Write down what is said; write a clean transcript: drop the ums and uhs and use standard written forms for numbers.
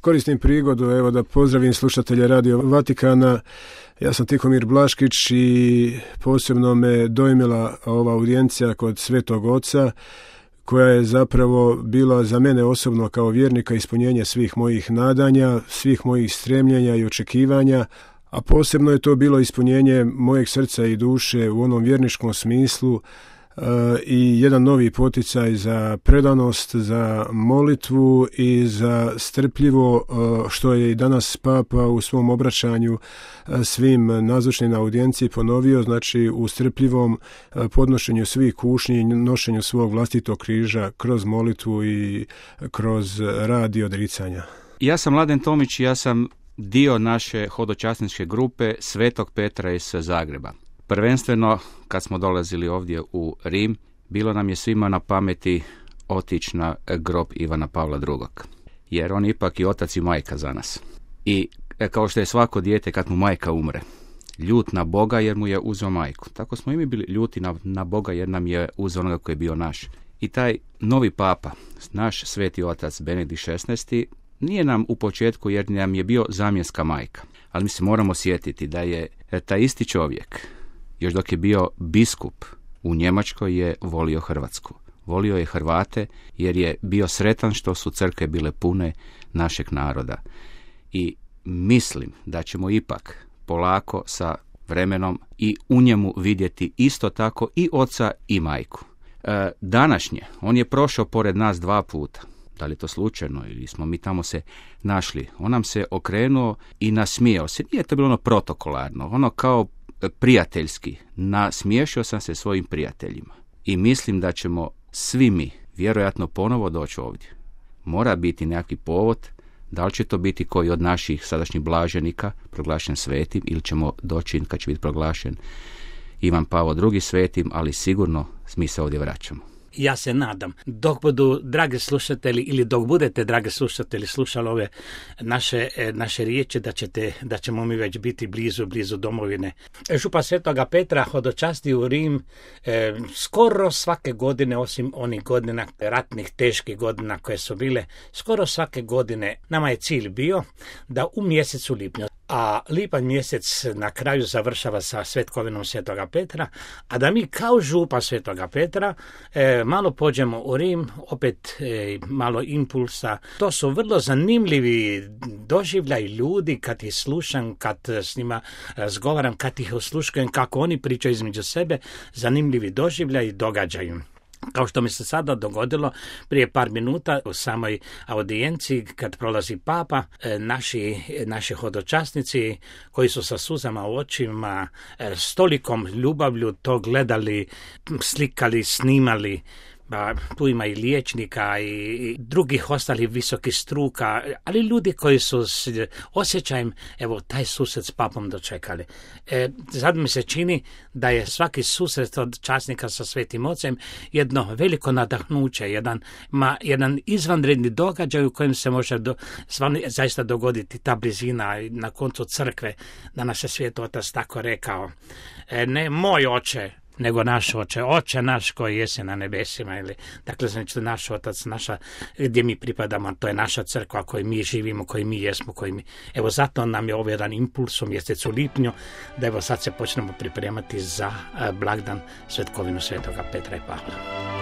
Koristim prigodu evo da pozdravim slušatelje Radio Vatikana. Ja sam Tihomir Blaškić i posebno me dojmila ova audijencija kod Svetog Oca, koja je zapravo bila za mene osobno kao vjernika ispunjenje svih mojih nadanja, svih mojih stremljenja i očekivanja, a posebno je to bilo ispunjenje mojeg srca i duše u onom vjerničkom smislu i jedan novi poticaj za predanost, za molitvu i za strpljivo, što je i danas Papa u svom obraćanju svim nazočnim na audijenciji ponovio, znači u strpljivom podnošenju svih kušnji i nošenju svog vlastitog križa kroz molitvu i kroz rad i odricanja. Ja sam Mladen Tomić, ja sam dio naše hodočasničke grupe Svetog Petra iz Zagreba. Prvenstveno, kad smo dolazili ovdje u Rim, bilo nam je svima na pameti otići na grob Ivana Pavla II. Jer on je ipak i otac i majka za nas. I kao što je svako dijete kad mu majka umre, ljut na Boga jer mu je uzeo majku. Tako smo i mi bili ljuti na Boga jer nam je uzeo onoga koji je bio naš. I taj novi papa, naš sveti otac Benedikt XVI, nije nam u početku jer nam je bio zamjenska majka. Ali mi se moramo sjetiti da je taj isti čovjek, još dok je bio biskup u Njemačkoj, je volio Hrvatsku. Volio je Hrvate jer je bio sretan što su crkve bile pune našeg naroda. I mislim da ćemo ipak polako sa vremenom i u njemu vidjeti isto tako i oca i majku. Današnje, on je prošao pored nas 2 puta. Da li je to slučajno ili smo mi tamo se našli? On nam se okrenuo i nasmijao se. Nije to bilo ono protokolarno, ono kao prijateljski. Nasmiješio sam se svojim prijateljima. I mislim da ćemo svi mi vjerojatno ponovo doći ovdje. Mora biti nekakvi povod, da li će to biti koji od naših sadašnjih blaženika proglašen svetim, ili ćemo doći kad će biti proglašen Ivan Pavao II svetim, ali sigurno mi se ovdje vraćamo. Ja se nadam, dok budu, dragi slušatelji, ili dok budete, dragi slušatelji, slušali ove naše riječi, da ćemo mi već biti blizu domovine. Župa Svetoga Petra hodočasti u Rim skoro svake godine, osim onih godina, ratnih, teških godina koje su bile, skoro svake godine nama je cilj bio da u mjesecu lipnju, a lipanj mjesec na kraju završava sa svetkovinom Svetoga Petra, a da mi kao župa Svetoga Petra malo pođemo u Rim, opet malo impulsa. To su vrlo zanimljivi doživljaj ljudi kad ih slušam, kad s njima razgovaram, kad ih osluškujem kako oni pričaju između sebe, zanimljivi doživljaj događaju. Kao što mi se sada dogodilo prije par minuta u samoj audijenciji kad prolazi papa, naši hodočasnici koji su sa suzama u očima, s tolikom ljubavlju to gledali, slikali, snimali. Tu ima i liječnika i drugih ostalih visokih struka, ali ljudi koji su s osjećajem taj susret s papom dočekali. Sad mi se čini da je svaki susret od časnika sa Svetim Ocem jedno veliko nadahnuće, jedan izvanredni događaj u kojem se može zaista dogoditi ta blizina na koncu crkve, da naš Sveti Otac tako rekao. Ne moj oče, nego naš oče, oče naš koji jesi na nebesima, dakle znači naš otac, gdje mi pripadamo, to je naša crkva koju mi živimo, koju mi jesmo, zato nam je ovo jedan impuls u mjesecu lipnju, da sad se počnemo pripremati za blagdan svetkovinu Svetoga Petra i Pavla.